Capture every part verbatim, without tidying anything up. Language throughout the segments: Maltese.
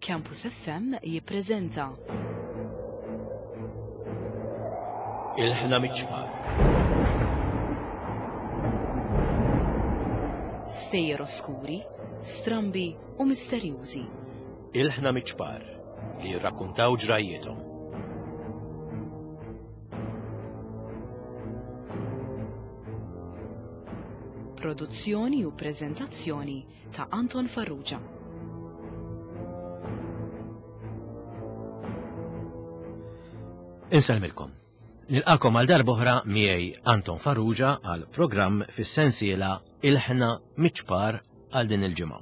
Campus F M jippreżenta Ilħna Miċ-Ċpar. Stejjer oskuri, strambi u misterjużi. Ilħna Miċ-Ċpar li jirrakkuntaw ġrajjithom. Produzzjoni u preżentazzjoni ta' Anton Farrugia. Insellmilkom. Nilqakom għal darb'oħra miegħi Anton Farrugia għal programm fis-sensiela Ilħna Miċ-Ċpar għal din il-ġimgħa.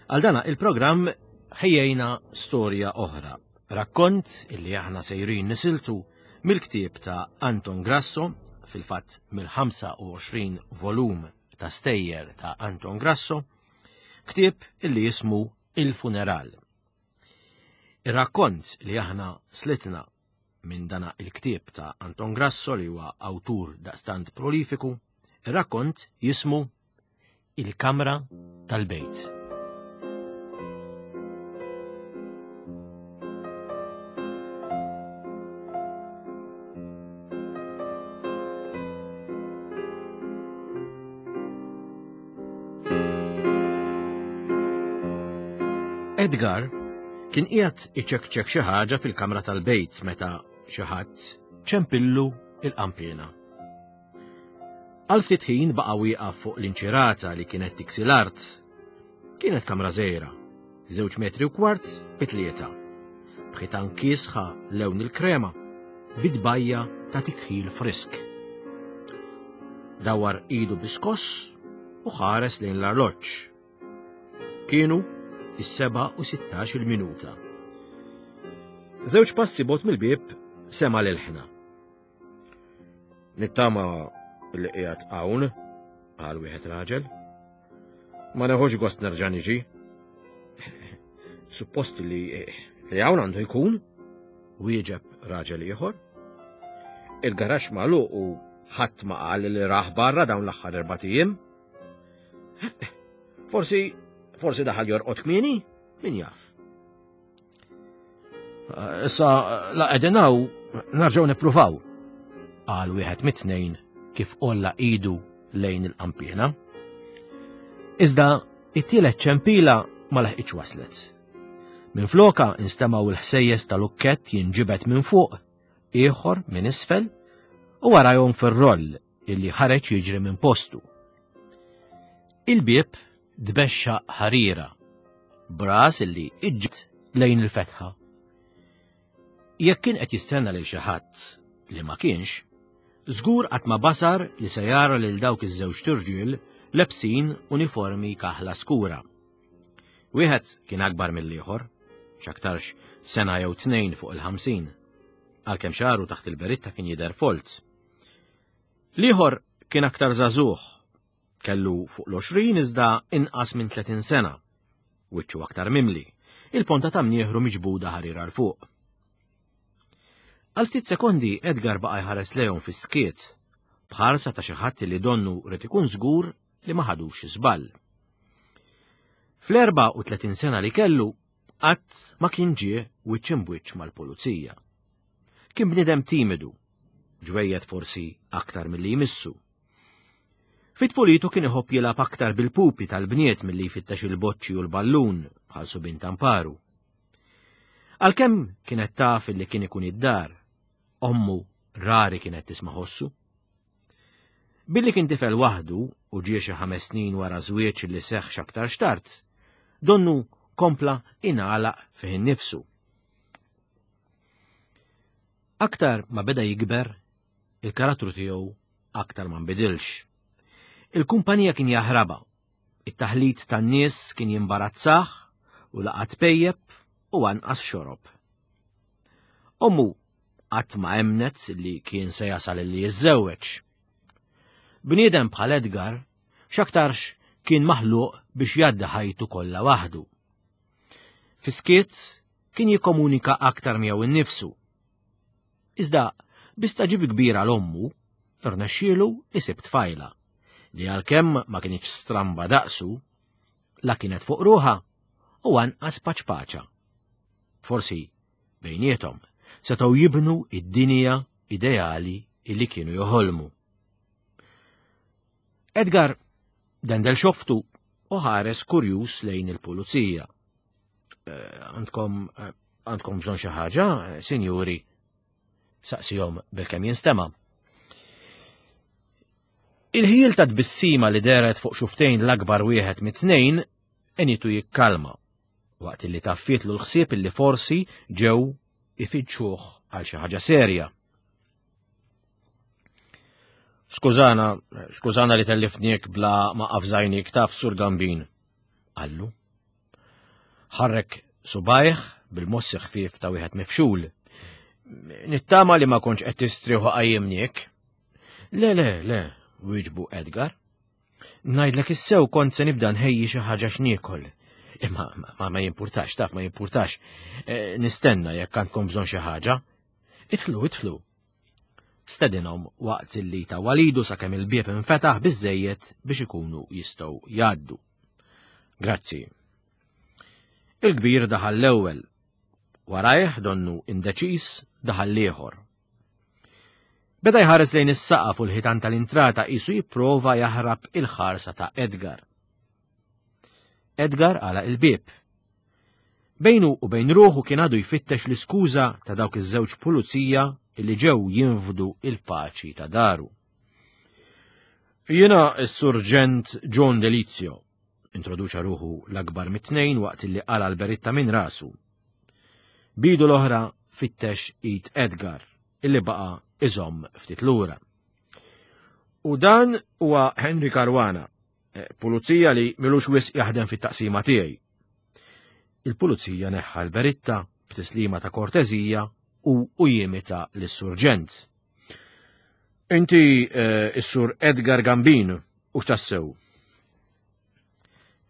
Għal dana il-programm ħejjejna storja oħra, rakkont illi aħna sejrin nisiltu mill-ktieb ta' Anton Grasso, fil-fatt mill-ħamsa u għoxrin volum ta' stejjer ta' Anton Grasso, ktieb illi jismu Il-Funeral. Ir-rakkont li aħna slitna minn dana il-ktieb ta' Anton Grasso li huwa awtur daqstant prolifiku, ir-rakkont jismu Il-Kamra tal-Bejt. Edgar kien qiegħed iċekċek xi ħaġa fil-kamra tal-bejt meta xi ħadd ċempillu il-qampiena. Għal ftit ħin baqa' wieqaf fuq l-inċirata li kienet tiksi l-art. Kienet kamra żgħira, żewġ metri u kwart bi tlieta. B'ħitan kiesħa lewn il-krema, bidbajja ta' tikħil frisk. Dawar idu biskoss u ħares lejn l-arloġġ. Kienu is-seba' u sittax il-minuta. Żewġ passi bot mill-bieb sema' l-ħna. Nittama li qiegħed hawn, qal wieħed raġel. Ma neħux gost nerġa' niġi. Suppost li, li hawn għandu jkun, wieġeb raġel ieħor. Il-garaxx magħluq u ħadd ma qal li raħ barra dawn l-aħħar erbat ijiem. Forsi, forsi daħal jorqod kmieni, min jaf. Issa la qegħdin hawn nerġgħu nippruvaw, qal wieħed mit-tnejn kif qolla idu lejn il-qampiena. Iżda it-tielet ċempila ma laħqitx waslet. Minn floka instemgħu l-ħsejjes tal-ukkett jinġibed minn fuq, ieħor minn isfel, u warajhom fir-roll illi ħareġ jiġri minn postu. Il-bieb tbexxa ħarira, bras illi iġġet lejn il-fetħa. Jekk kien qed jistenna lil xi ħadd li ma kienx, żgur qatt ma basar li se jara lil dawk iż-żewġ turġiel lebsin uniformi kaħla skura. Wieħed kien akbar mill-ieħor, x'aktarx sena jew tnejn fuq il-ħamsin, għalkemm xagħru taħt il-beritta kien jidher folz. L-ieħor kien aktar żagħżugħ, kellu fuq l-għoxrin iżda inqas minn tletin sena, wiċċu aktar mimli, il-ponta ta' mnieħru miġbuda ħarira 'l fuq. Għal ftit sekondi Edgar baqa' jħares lejhom fis-skiet, bħarsa ta' xi ħadd li donnu rid ikun żgur li ma ħadux żball. Fl-erbgħa u tletin sena li kellu, qatt ma kien ġie wiċċ imbwiċċ mal-pulizija. Kien bniedem timidu, ġwejjed forsi aktar milli jmissu. Fit-tfulitu kien iħobb jilgħab aktar bil-pupi tal-bniet milli jfittex il-boċċi u l-ballun bħal subin tamparu. Għalkemm kienet taf li kien ikun id-dar, ommu rari kienet tisma' ħossu. Billi kien tifel waħdu u ġie xi ħames snin wara żwieġ li seħħ x'aktar xtart, donnu kompla ingħalaq fih innifsu. Aktar ma beda jikber, il-karattru tiegħu aktar ma nbidilx. Il-kumpanija kien jaħrabha, it-taħlit tan-nies kien jimbarazzah u laqat pejjeb u anqas xorob. Ommu qatt ma emnet li kien se jasal li jiżżewweġ. Bniedem bħal Edgar x'aktarx kien maħluq biex jgħaddi ħajtu kollha waħdu. Fiskiet kien jikkomunika aktar miegħu innifsu. Iżda bistaġib kbira l-ommu, irnexxielu isib tfajla li għalkemm ma kienx stramba daqsu, la kienet fuq ruħha u anqas paċpaċa. Forsi bejniethom setgħu jibnu id-dinja ideali illi kienu joħolmu. Edgar dendel xoftu u ħares kurjuż lejn il-pulizija. Eh, għandkom eh, għandkom bżonn xi ħaġa, eh, sinjuri? Saqsihom bilkemm jinstema'. Il-ħjiel ta' tbissima li deret fuq xuftejn l-akbar wieħed mit-tnejn enitu jikkalma, waqt li taffietlu l-ħsieb illi forsi ġew ifittxuh għal xi ħaġa serja. Skużana, skużana li tellifniek bla ma qafżajnik taf Sur Gambin, qallu. Ħarrek subajh bil-mossi ħfief ta' wieħed mifxul. Nittama li ma kontx qed tistrieħu qajjimniek. Le, le, le, wieġbu Edgar. Ngħidlek issew kont se nibda nħejji xi ħaġa x'niekol. Imma ma, ma jimpurtax, taf ma jimpurtax. E, nistenna jekk għandkom bżonn xi ħaġa. Idħlu, idħlu. Stedinhom waqt li ta' walidu sakemm il-bieb infetaħ biżejjed biex ikunu jistgħu jgħaddu. Grazzi. Il-kbir daħal l-ewwel. Warajh donnu indeċis daħal l-ieħor. Beda jħares lejn is-saqaf u l-ħitan tal-intrata qisu jipprova jaħrab il-ħarsa ta' Edgar. Edgar għalaq il-bieb. Bejnu u bejn ruħu kien għadu jfittex l-iskuża ta' dawk iż-żewġ pulizija li ġew jinfdu il-paċi ta' daru. Jiena s-Surġent John Delizio, introduċa ruħu l-akbar mit-tnejn waqt li qala l-beritta minn rasu. Bidu l-oħra fittex id Edgar, illi baqa iżomm ftit lura. U dan huwa Henry Caruana, pulizija li milux wisq jaħdem fit-taqsima tiegħi. Il-pulizija neħħa l-beritta b'tislima ta' kortezija u u jimita lis-surġent. Inti eh, is-sur Edgar Gambin u x'tassew?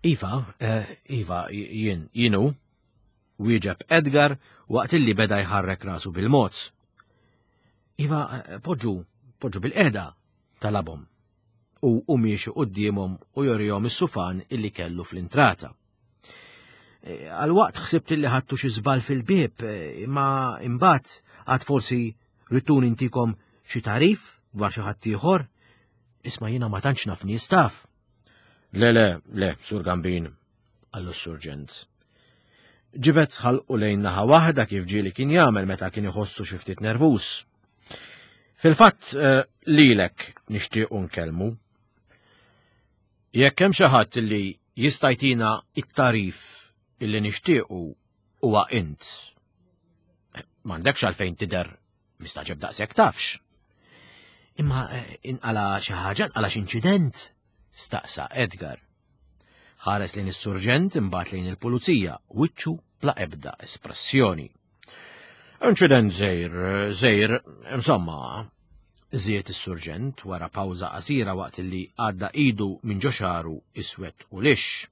Iva, eh, Iva, jien, jienu, wieġeb Edgar waqt illi beda jħarrek rasu bil-mod. Iva, poġġu, poġġu bil-qeda, talabhom. U u miexi quddiemhom u jorihom is-sufan illi kellu fl-intrata. Għal waqt ħsibt illi ħadtu xi żball fil-bieb, imma imbagħad għad forsi ritun intikom xi tarif dwar xi ħadd ieħor. Isma' jiena ma tantx naf nies taf. Le, le, le, Sur Gambin, qallu s-surġent. Ġibed ħalqu lejn naħa waħda kif ġieli kien jagħmel meta kien iħossu xi ftit nervuż. Fil-fatt lilek nixtiequ nkellmu. Jekk hemm xi ħadd li jista' jtina it-tarif illi nixtiequ huwa int. M'għandekx għalfejn tidher mistaġeb daqshekk tafx. Imma inqala xi ħaġa, inqala xi inċident, staqsa Edgar. Ħares lejn is-surġent imbagħad lejn il-pulizija, wiċċu bla ebda espressjoni. Inċident żgħir, żgħir, insomma, żied is-surġent wara pawża qasira waqt li għadda idu minn ġo xagħru iswed u lix.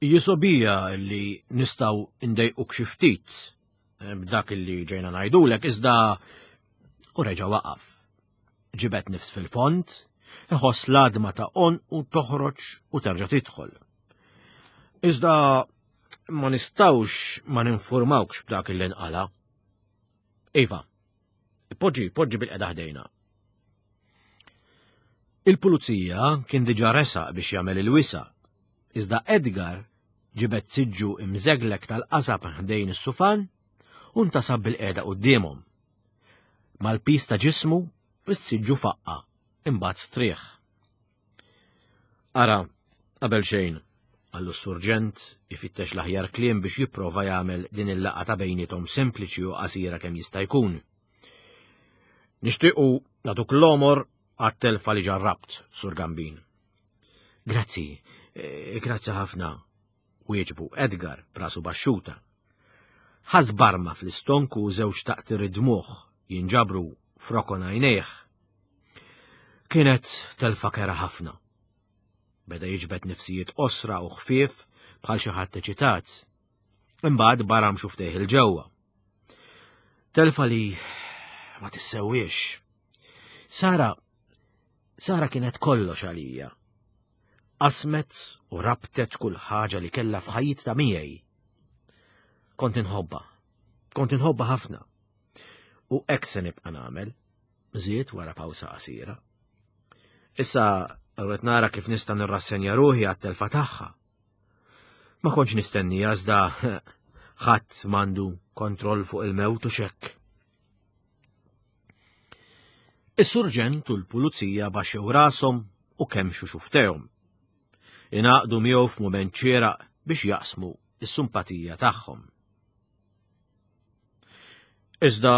Jisobija li nistgħu ndejquk xi ftit b'dak li ġejna ngħidulek iżda u reġa' waqaf. Ġibed nifs fil-fond, iħoss l-għadma ta' għonqu toħroġ u terġa' tidħol. Iżda ma nistgħux ma ninformawkx b'dak li nqala. Iva, poġġi, poġġi bil-qeda ħdejna. Il-pulizija kien diġà resaq biex jagħmel il-wisa, iżda Edgar ġibed siġġu imżeglek tal-qasab ħdejn is-sufan u ntasab bil-qeda quddiemhom. Mal-pis ta' ġismu, is-siġġu faqqa, imbagħad strieħ. Ara, qabel xejn, qallu s-surġent ifittex l-aħjar kliem biex jipprova jagħmel din il-laqgħa ta' bejniethom sempliċi u qasira kemm jista' jkun. Nixtiequ nagħtuk l-omor għat-telfa li ġarrabt, Sur Gambin. Grazzi, grazzi ħafna, wieġbu Edgar b'rasu baxxuta. Ħass barma fl-istonku u żewġ taqtir id-dmugħ jinġabru f'rokon għajnejh. Kienet telfa kera ħafna. Beda jiġbed nifsijiet qosra u ħfief bħal xi ħadd eċitat. Imbagħad baram xuftejh il-ġewwa. Telfa li ma tissewwiex. Sara, Sara kienet kollox għalija. Qasmet u rabtet kull ħaġa li kellha f'ħajjitha miegħi. Kont inħobbha. Kont inħobbha ħafna. U hekk se nibqa' nagħmel, żied wara pawsa qasira. Issa rrid nara kif nista' nirrassenja ruħi għat-telfa tagħha. Ma kontx nistennija iżda ħadd m'għandu kontroll fuq il-mewt u xekk. Is-surġent u l-pulizija baxxew rashom u kemmxu xufftejhom. Ingħaqdu miegħu f'mument xieraq biex jaqsmu s-simpatija tagħhom. Iżda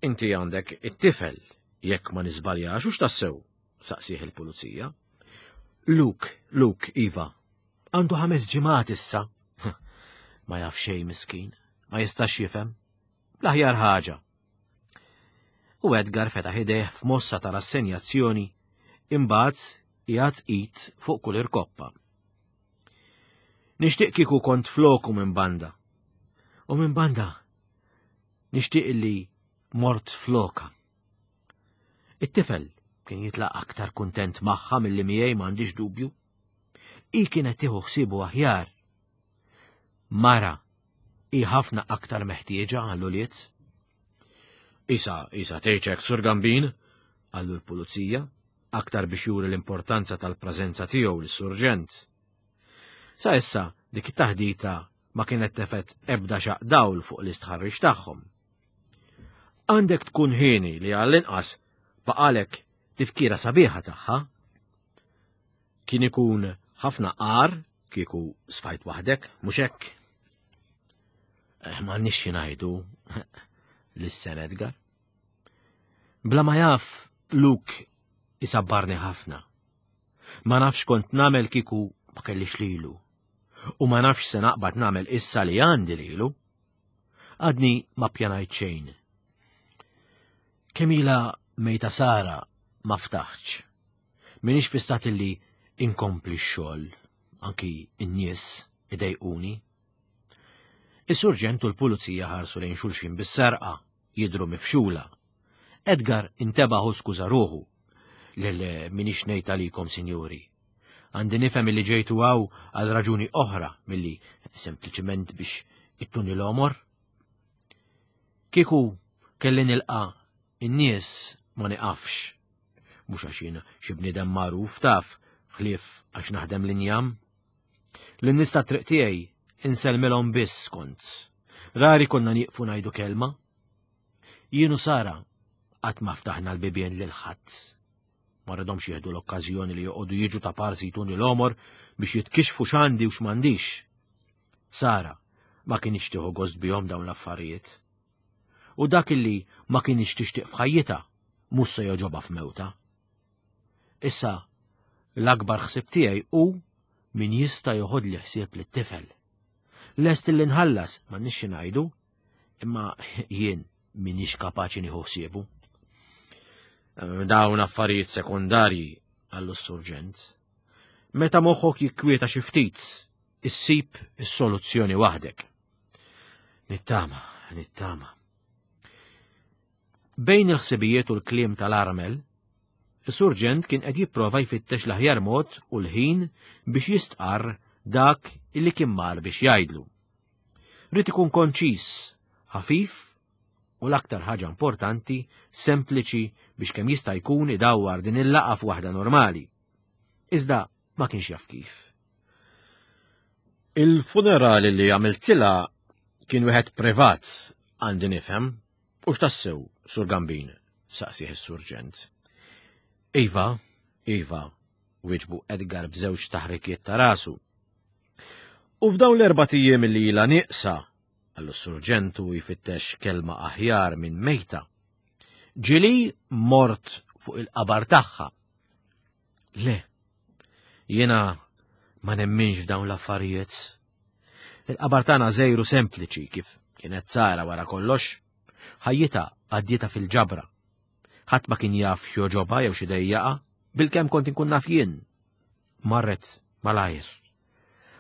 inti għandek it-tifel, jekk ma niżbaljax u x'tassew, saqsih il-pulizija. Luke, Luke, iva, għandu ħames ġimgħat issa. Ma jaf xejn miskin, ma jistax jifhem. L-aħjar ħaġa. U Edgar fetaħ idejh f'mossa ta' rassenjazzjoni, imbagħad qiegħed id fuq kull irkoppa. Nixtieq kieku kont floku minn banda. U minn banda nixtieq li mort floka. It-tifel kien jitlaq aktar kuntent magħha milli miegħi m'għandix dubju. Hi kienet tieħu ħsiebu aħjar. Mara hi ħafna aktar meħtieġa għall-ulied. Isa, isa tgħidx Sur Gambin, qallu l-pulizija, aktar biex juri l-importanza tal-preżenza tiegħu lis-surġent. Sa issa dik it-taħdita ma kienet tefgħet ebda xaq dawl fuq l-istħarriġ tagħhom. Għandek tkun ħieni li għall-inqas baqalek tifkira sabiħa tagħha. Kien ikun ħafna qar kieku sfajt waħdek, mhux hekk? Eh, m'għandniex xi ngħidu lissen Edgar. Bla ma jaf, Luke isabbarni ħafna. Ma nafx kont nagħmel kieku ma kellix lilu. U ma nafx se naqbad nagħmel issa li għandi lilu. Għadni ma pjanajt xejn. Kemm ilha mejta Sara ma ftaħtx. Minix fi stat li inkompli x-xogħol, anki n-nies idejquni. Is-surġent u l-pulizija ħarsu lejn xulxin bis-serqa, jidhru mifxula. Edgar intebaħ u skuża ruħu. Le le minix ngħid għalikom, sinjuri. Għandi nifhem li ġejtu hawn għal raġuni oħra milli sempliċement biex ittuni l-omor. Kieku kelli nilqa' in-nies ma niqafx. Mhux għax jien xi bniedem magħruf taf, ħlief għax naħdem l-injam. Lin-nies tat-triq tiegħi insellmilhom biss kont. Rari konna nieqfu ngħidu kelma. Jien u Sara qatt ma ftaħna l-bibien lil ħadd. Ma rridhomx jieħdu l-okkażjoni li joqogħdu jiġu ta' parsi jtuni l-omor biex jitkixfu x'għandi u x'm'għandix. Sara ma kienx tieħu gost bihom dawn l-affarijiet. U dak illi ma kienx tixtieq f'ħajjitha mhux se jogħġobha f'mewta. Issa l-akbar ħsieb tiegħi hu min jista' joħodli ħsieb lit-tifel. Lest li nħallas m'għandniex xi ngħidu, imma jien minix kapaċi nieħu ħsiebu. Dawn affarijiet sekundarji, qallu s-surġent. Meta moħħok jikkwieta xi ftit, issib is-soluzzjoni waħdek. Nittama, nittama. Bejn il-ħsibijiet u l-kliem tal-armel, is-surġent kien qed jipprova jfittex l-aħjar mod u l-ħin biex jistqarr dak illi kien mar biex jgħidlu. Ried ikun konċis, ħafif u l-aktar ħaġa importanti, sempliċi biex kemm jista' jkun idawwar din il-laqgħa f'waħda normali. Iżda ma kienx jaf kif. Il-funerali li għamiltilha kien wieħed privat, għandi nifhem, u x'tassew, Sur Gambin, saqsih is-surġent. Iva, iva, wieġbu Edgar b'żewġ taħrikiet ta' rasu. U f'dawn l-erbat ijiem li ilha nieqsa, qallu s-surġent u jfittex kelma aħjar minn mejta. Ġieli mort fuq il-qabar tagħha. Le, jiena ma nemminx f'dawn l-affarijiet. Il-qabar tagħna żgħir u sempliċi kif kienet Sara wara kollox. Ħajjitha għaddietha fil-ġabra. Ħadd ma kien jaf x'jogħġobha jew xi dejjaqa, bilkemm kont inkun naf jien. Marret malajr.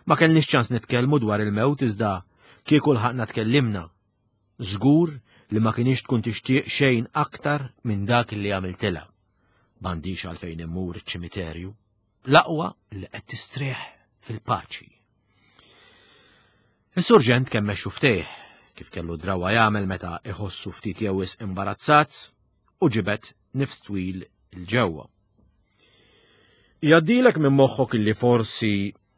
Ma kellniex ċans nitkellmu dwar il-mewt iżda kieku lħaqna tkellimna. Żgur li ma kienx tkun tixtieq xejn aktar minn dak li għamiltilha. M'għandix għalfejn immur iċ-ċimiterju. L-aqwa li qed tistrieħ fil-paċi. Is-surġent kemmex xuftejh kif kellu drawa jagħmel meta iħossu ftit jew wisq imbarazzat u ġibed nifs twil 'il ġewwa. Jgħaddilek minn moħħok illi forsi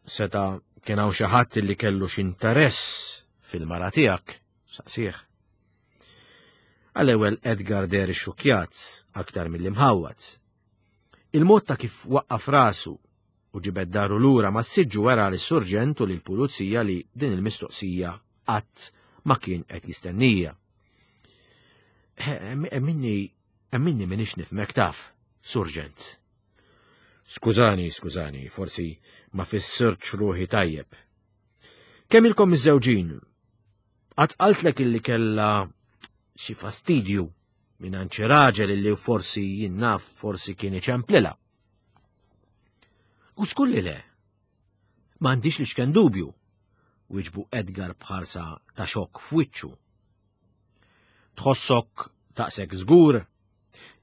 seta' kien hawn xi ħadd illi kellu x'interess fil-mara tiegħek, saqsih. Għall-ewwel Edgar deher ixxukkjat aktar milli mħawwad. Il-mod ta' kif waqqaf rasu u ġibed daru lura mas-siġġu wera lis-surġent u lill-pulizija li din il-mistoqsija qatt ma kien qed jistennija. Emminni, emminni m'iniex nifhmek taf, surġent. Skużani, skużani, forsi ma fissirtx ruħi tajjeb. Kemm ilkom miżżewġin? Qatt qaltlek illi kellha xi fastidju minn xi raġel illi forsi jien naf forsi kien iċemplilha. U żgur li le. M'għandix l-iċken dubju, wieġbu Edgar b'ħarsa ta' xokk f'wiċċu. Tħossok daqshekk żgur?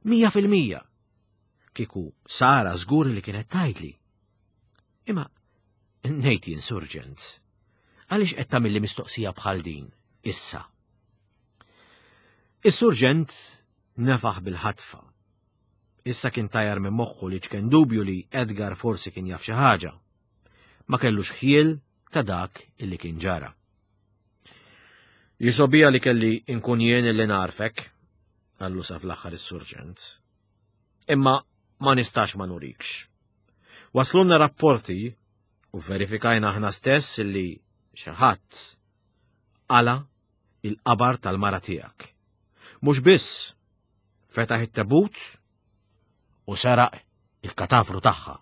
Mija fil-mija. Kieku Sara żgur li kienet tgħidli. Imma ngħid jien surġent, għaliex qed tagħmilli mistoqsija bħal din issa? Is-surġent nefaħ bil-ħatfa. Issa kien tajar minn moħħu l-iċken dubju li Edgar forsi kien jaf xi ħaġa. Ma kellux ħjiel ta' dak illi kien ġara. Jisgħobija li kelli nkun jien illi ngħarrfek, qallu sa fl-aħħar is-surġent. Imma ma nistax ma nurikx. Waslunna rapporti u verifikajna aħna stess illi xi ħadd qala' il-qabar tal-mara tiegħek. Mhux biss fetaħ it-tabut u seraq il-katavru tagħha.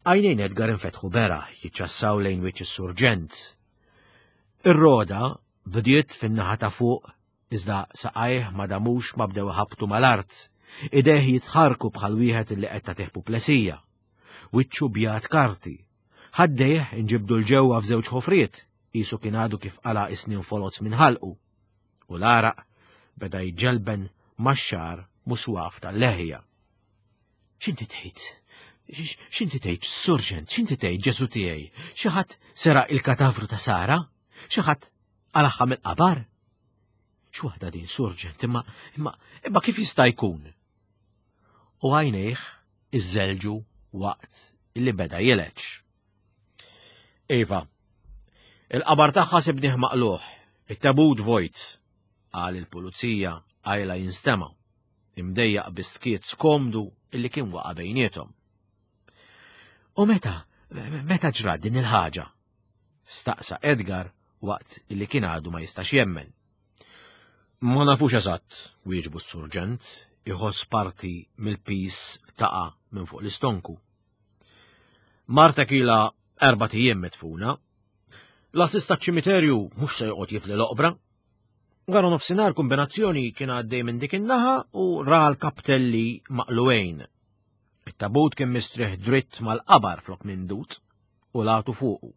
Għajnejn Edgar infetħu beraħ jiċċassaw lejn wiċċ is-surġent. Ir-roda bdiet fin-naħa ta' fuq iżda saqajh ma damux ma bdew ħabtu mal-art. Idejh jitħarku bħal wieħed illi qed tagħtih puplesija. Wiċċu bjad karti. Ħaddejh inġibdu 'l ġewwa f'żewġ ħofriet, qisu kien għadu kif qala' isnin foloz minn ħalqu. U l-għaraq beda jġelben max-xagħar muswaf tal-leħja. X'inti tgħid? X'inti tgħid, surġent? X'inti tgħid, Ġesu tiegħi? Xi ħadd seraq il-katavru ta' Sara? Xi ħadd qalagħha mill-qabar? X'waħda din, surġent, imma imma imma kif jista' jkun? U għajnejh iżżelġu waqt illi beda jileġ. Iva, il-qabar tagħha sibnih maqlugħ, it-tabut vojt, qal il-pulizija qajla jinstema', imdejjaq bis-skiet skomdu illi kien waqa' bejniethom. U meta, meta ġrat din il-ħaġa? Staqsa Edgar waqt illi kien għadu ma jistax jemmen. Ma nafux eżatt, wieġbu s-surġent, iħoss parti mill-pis taqa' minn fuq l-istonku. Martek ilha erbat ijiem midfuna. L-għassies taċ-ċimiterju mhux se joqgħod jifli l-oqbra. Wara nofsinhar kombinazzjoni kien għaddej minn dik in-naħa u ra l-kaptelli maqlugħin. It-tabut kien mistrieħ dritt mal-qabar flok mimdud u l-għatu fuqu.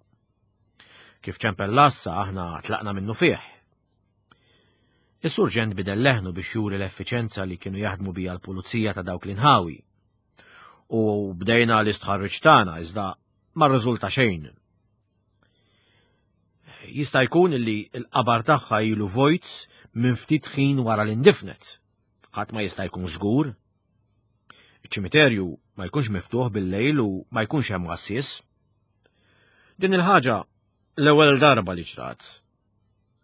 Kif ċempel l-għassa aħna tlaqna minnufih. Is-surġent bidel leħnu biex juri l-effiċenza li kienu jaħdmu bija l-pulizija ta' dawk l-inħawi. U bdejna l-istħarriġ tagħna iżda ma rriżulta xejn. Jista' jkun li l-qabar tagħha ilu vojt minn ftit ħin wara li ndifnet. Ħadd ma jista' jkun żgur. Iċ-ċimiterju ma jkunx miftuħ bil-lejl u ma jkunx hemm għassies. Din il-ħaġa l-ewwel darba li ġrat.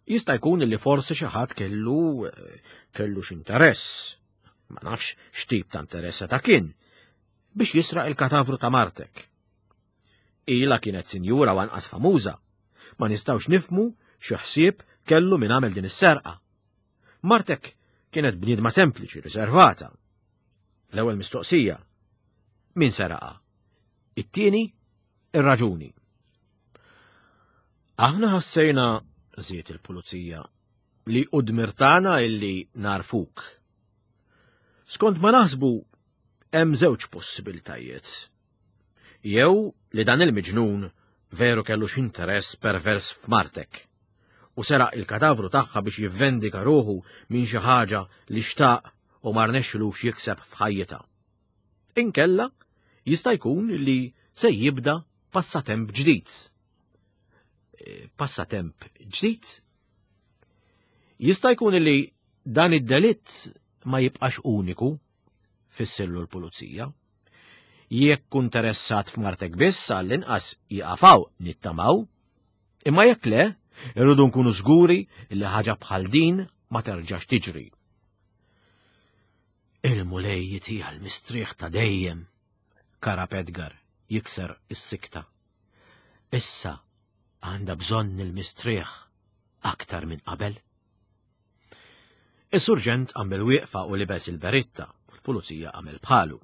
Jista' jkun li forsi xi ħadd kellu kellu x'interess. Ma nafx x'tip ta' interess ta' kien biex jisraq il-katavru ta' martek. Ilha kienet sinjura u anqas famuża. Ma nistgħux nifhmu xi ħsieb kellu min għamel din is-serqa. Martek kienet bniedma sempliċi, riservata. L-ewwel mistoqsija. Min seraqa? It-tieni, ir-raġuni. Aħna ħassejna, żied il-pulizija, li hu dmir tagħna illi ngħarrfuk. Skont ma naħsbu hemm żewġ possibiltajiet. Jew li dan il-miġnun veru kellu x'interess pervers f'martek u seraq il-katavru tagħha biex jivvendika ruħu minn xi ħaġa li xtaq u ma rnexxilux jikseb f'ħajjitha. Inkella Jista' jkun li se jibda passatemp ġdid. Passatemp ġdid? Jista' jkun li dan id-delitt ma jibqax uniku, fissirlu l-pulizija. Jekk interessat f'martek biss għall-inqas jaqafaw nittamaw, imma jekk le, irridu nkunu żguri li ħaġa bħal din ma terġax tiġri. Il-Mulej jitiha l-mistrieħ ta' dejjem, karab Edgar jikser is-sikta. Issa għandha bżonn il-mistrieħ aktar minn qabel. Is-surġent għamel wieqfa u libes il-beritta, u l-pulizija għamel bħalu.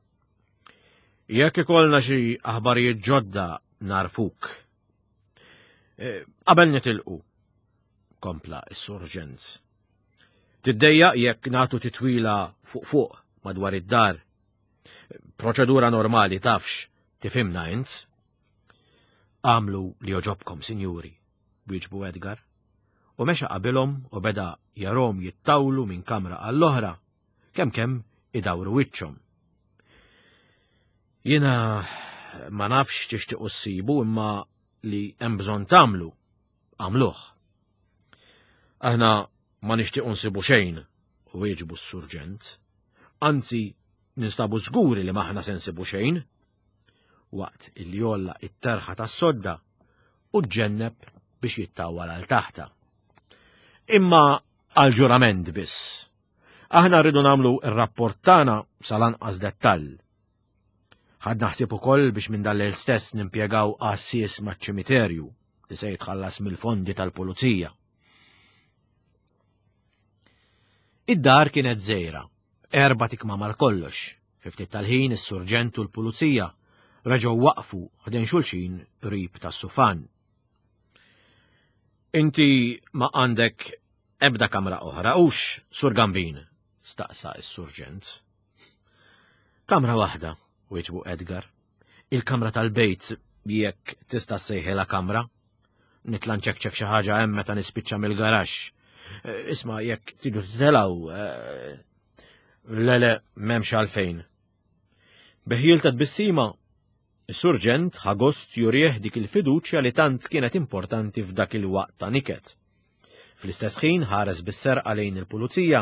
Jekk ikollna xi aħbarijiet ġodda narfuk. Qabel nitilqu, kompla is-surġent. Tiddejjaq jekk nagħtu titwila fuq fuq madwar id-dar. Proċedura normali tafx, tifhimna int. Għamlu li joġobkom, sinjuri, wieġbu Edgar. U mexa qabilhom u beda jarom jittawlu minn kamra għall-oħra, kemm kemm idawru wiċċhom. Jiena ma nafx tixtiequ ssibu imma li hemm bżonn tagħmlu, għamluh. Aħna ma nixtiequ nsibu xejn, wieġbu s-surġent. Anzi, ninstabu żguri li m'aħna se nsibu xejn. Waqt illi jolla it-terħa tas-sodda u ġġenneb biex jittawwal għal taħta. Imma għal ġurament biss. Aħna rridu nagħmlu r-rapport tagħna sal-anqas dettall. Ħadna ħsieb ukoll biex minn dal stess nimpjegaw għassies maċ-ċimiterju li se jitħallas mill-fondi tal-pulizija. Id-dar kienet żgħira, erba' tikmamar kollox. Fi ftit tal-ħin is-surġent u l-pulizija reġgħu waqfu ħdejn xulxin qrib tas-sufan. Inti ma għandek ebda kamra oħra hux, Sur Gambin? Staqsa s-surġent. Kamra waħda, wieġbu Edgar. Il-kamra tal-bejt jekk tista' ssejħilha kamra. Nitla' nċekċek xi ħaġa hemm meta nispiċċa mill-garaxx. Isma' jekk tridu titilgħu. Le le, m'hemmx għalfejn. Beħjil ta' tbissima, is-surġent ħa gost jurih dik il-fiduċja li tant kienet importanti f'dak il-waqt ta' niket. Fl-istess ħin ħares bis-serqa lejn il-pulizija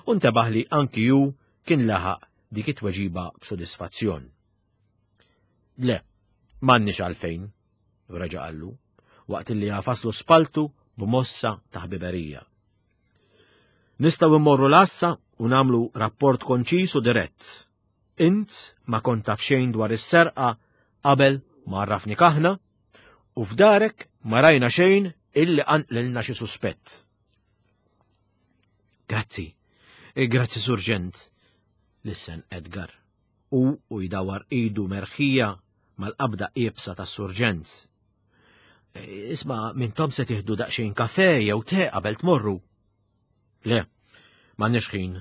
u ntebaħ li anki ju kien laħaq dik it-tweġiba b'sodisfazzjon. Le, m'għandniex għalfejn, reġa' qallu, waqt li għafaslu spaltu b'mossa ta' ħbiberija. Nistgħu immorru l-għassa u nagħmlu rapport konċis u dirett. Int ma kont taf xejn dwar is-serqa qabel ma għarrafnik aħna u f'darek ma rajna xejn illi qanqlilna xi suspett. Grazzi, grazzi surġent, lissen Edgar, u u jdawar idu merħija mal-qabda iebsa tas-surġent. Isma' mintom se tieħdu daqsxejn kafe jew te qabel tmorru. Le, m'għandniex ħin,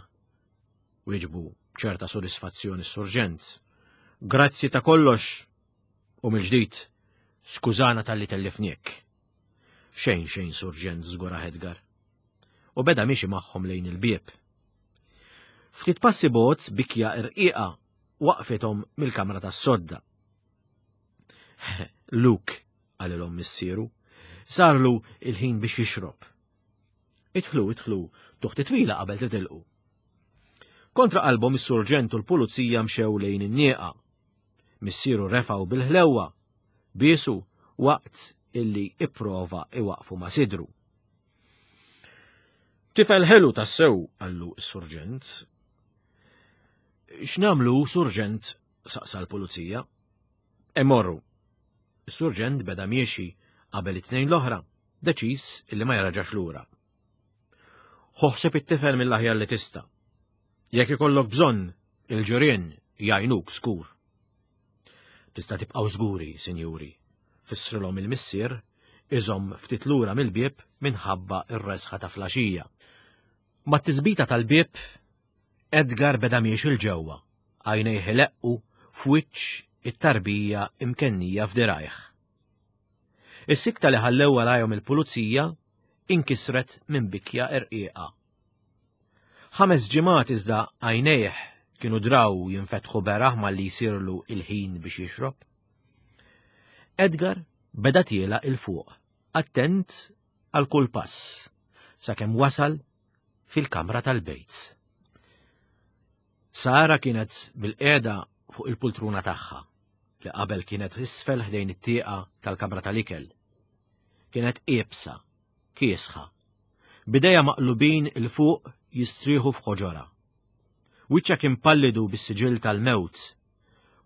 wieġbu ċerta sodisfazzjoni s-surġent. Grazzi ta' kollox u mill-ġdid, skużana talli tellifniek. Xejn xejn surġent, żgura Edgar. U beda miexi magħhom lejn il-bieb. Ftit passi bot bikja irqiqa waqfithom mill-kamra tas-sodda. Luke, qalilhom missieru, sarlu il-ħin biex jixrob. Idħlu, idħlu, tuħti twila qabel titilqu. Kontra qalbhom is-surġent u l-pulizija mxew lejn in-nieqa. Missieru refgħu bil-ħlewwa, biesu waqt illi ipprova iwaqfu ma' sidru. Tifel ħelu tassew, qallu s-surġent. X'nagħmlu, surġent? Saqsa l-pulizija. Imorru. Is-surġent beda miexi qabel it-tnejn l-oħra, deċiż illi ma jraġax lura. Ħoħseb it-tifel mill-aħjar li tista'. Jekk ikollok bżonn, il-ġirien jgħinuk skur. Tista' tibqgħu żguri, sinjuri, fissrilhom il-missier iżomm ftit lura mill-bieb minħabba r-resħa ta' flaxija. Mat-tisbita tal-bieb, Edgar beda miexi l-ġewwa, għajnejh ileqqu f'wiċċ it-tarbija imkennija f'dirajh. Is-sikta li ħallew warajhom il-pulizija inkisret minn bikja irqiqa. Ħames ġimgħat iżda għajnejh kienu draw jinfetħu beraħ malli jsirlu il-ħin biex jixrob. Edgar beda tiela 'il fuq, attent għal kull pass, sakemm wasal fil-kamra tal-bejt. Sara kienet bilqiegħda fuq il-pultruna tagħha li qabel kienet isfel ħdejn it-tieqa tal-kamra tal-ikel. Kienet iebsa, kiesħa, b'idejha maqlubin 'il fuq jistrieħu f'ħoġorha. Wiċċha kien pallidu bis-siġill tal-mewt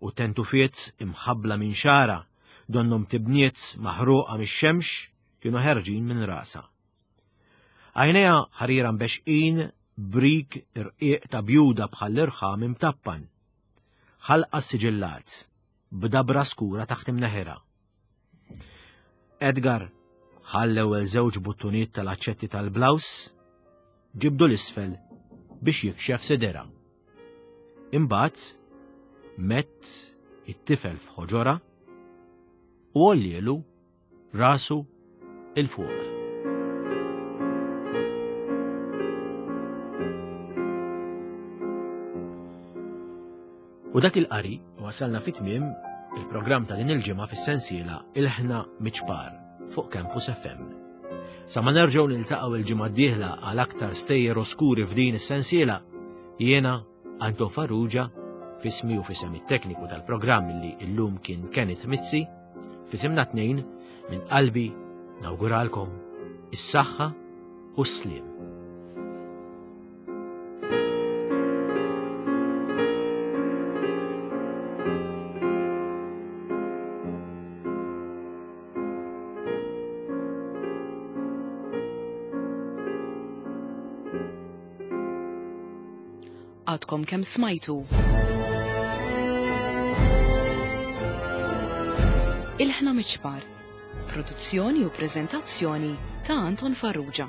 u tentufiet imħabbla minn xagħarha donnhom tibniet maħruqa mix-xemx kienu ħerġin minn rasha. Għajnejha ħarira mbexqin b'rik irqiq ta' bjuda bħall-irħam imtappan. Ħalqha siġillat b'dabra skura taħt imneħirha. Edgar ħall l-ewwel żewġ buttuniet tal-aċċetti tal-blouse, ġibdu 'l isfel biex jikxef sidirha. Imbagħad medd it-tifel f'ħoġorha u għollielu rasu 'il fuq. U dak il-qari wasalna fit-tmiem il-programm ta' din il-ġimgħa fis-sensiela Ilħna Miċpar fuq Campus F M. Sa ma nerġgħu niltaqgħu il-ġimgħa d-dieħla għal aktar stejjer oskuri f'din is-sensiela, jiena Anton Farrugia, f'ismi u f'isem it-tekniku tal-programm li illum kien Kenneth Mizzi, f'isimna tnejn minn qalbi nawguralkom is-saħħa u s-sliem. Għadkom kemm smajtu Ilħna Miċpar, produzzjoni u prezentazzjoni ta' Anton Farrugia.